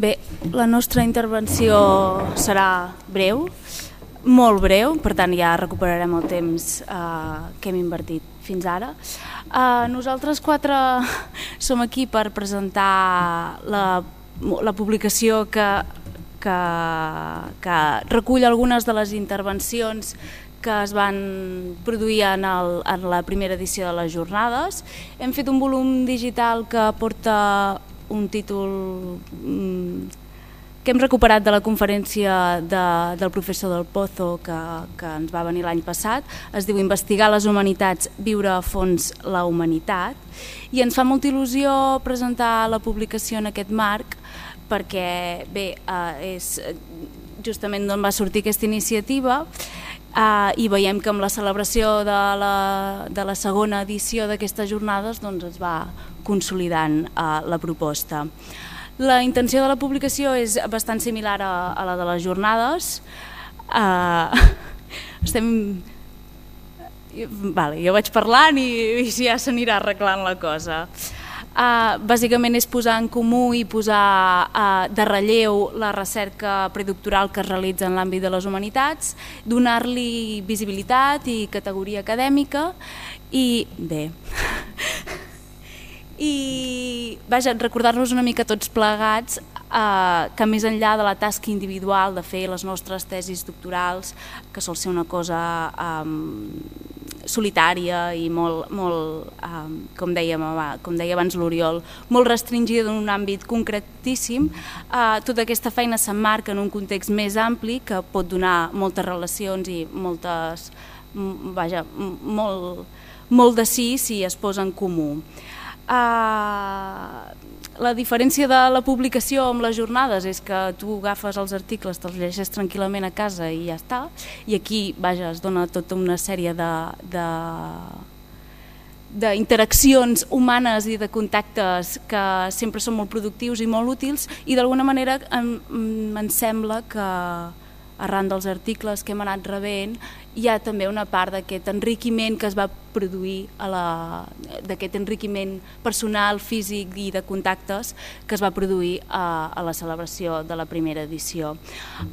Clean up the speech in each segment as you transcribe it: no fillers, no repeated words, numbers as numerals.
Bé, la nostra intervenció serà breu, molt breu, per tant ja recuperarem el temps que hem invertit fins ara. Nosaltres quatre som aquí per presentar la publicació que recull algunes de les intervencions que es van produir en la primera edició de les jornades. Hem fet un volum digital que porta un títol que hem recuperat de la conferència del professor Del Pozo que ens va venir l'any passat. Es diu Investigar les humanitats, viure a fons la humanitat, i ens fa molta il·lusió presentar la publicació en aquest marc perquè bé, és justament d'on va sortir aquesta iniciativa. I veiem que amb la celebració de la segona edició d'aquestes jornades doncs es va consolidant la proposta. La intenció de la publicació és bastant similar a la de les jornades. Jo vaig parlant i ja s'anirà arreglant la cosa. Bàsicament és posar en comú i posar de relleu la recerca predoctoral que es realitza en l'àmbit de les humanitats, donar-li visibilitat i categoria acadèmica i bé, i recordar-nos una mica tots plegats que més enllà de la tasca individual de fer les nostres tesis doctorals, que sol ser una cosa solitària i molt, com deia abans l'Oriol, molt restringida en un àmbit concretíssim, tota aquesta feina s'emmarca en un context més ampli que pot donar moltes relacions i molt de sí si es posa en comú. La diferència de la publicació amb les jornades és que tu agafes els articles, te'ls llegeixes tranquil·lament a casa i ja està, i aquí es dona tota una sèrie d'interaccions humanes i de contactes que sempre són molt productius i molt útils, i d'alguna manera em sembla que arran dels articles que hem anat rebent hi ha també una part d'aquest enriquiment que es va produir, d'aquest enriquiment personal, físic i de contactes que es va produir a la celebració de la primera edició.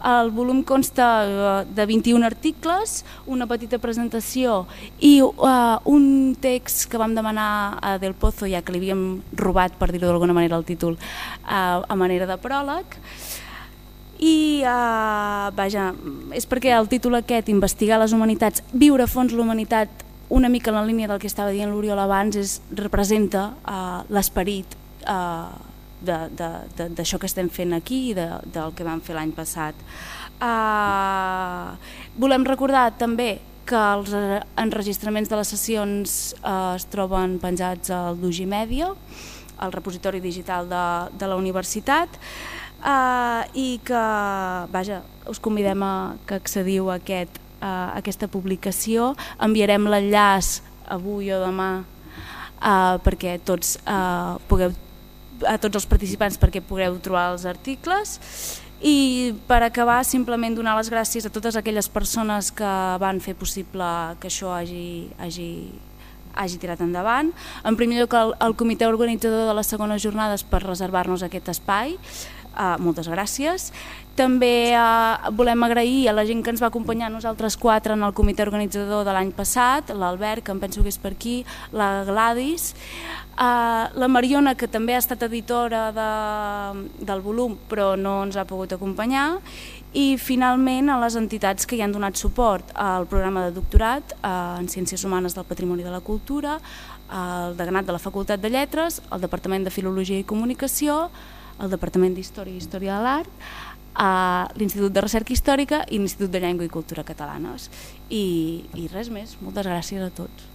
El volum consta de 21 articles, una petita presentació i un text que vam demanar a Del Pozo, ja que li havíem robat, per dir-ho d'alguna manera, el títol a manera de pròleg. I és perquè el títol aquest, Investigar les humanitats, viure a fons la humanitat, una mica en la línia del que estava dient l'Oriol abans, representa l'esperit d'això que estem fent aquí i del que vam fer l'any passat. Volem recordar també que els enregistraments de les sessions es troben penjats al Dugimedia, al repositori digital de la universitat, i que us convidem que accediu a aquesta publicació. Enviarem l'enllaç avui o demà perquè a tots els participants perquè pugueu trobar els articles. I per acabar, simplement donar les gràcies a totes aquelles persones que van fer possible que això hagi tirat endavant. En primer lloc, al comitè organitzador de les segones jornades per reservar-nos aquest espai. Moltes gràcies. També volem agrair a la gent que ens va acompanyar a nosaltres quatre en el comitè organitzador de l'any passat, l'Albert, que em penso que és per aquí, la Gladys, la Mariona, que també ha estat editora del volum però no ens ha pogut acompanyar, i finalment a les entitats que hi han donat suport al programa de doctorat en Ciències Humanes del Patrimoni i de la Cultura, el deganat de la Facultat de Lletres, el Departament de Filologia i Comunicació, el Departament d'Història i Història de l'Art, l'Institut de Recerca Històrica i l'Institut de Llengua i Cultura Catalanes. I res més, moltes gràcies a tots.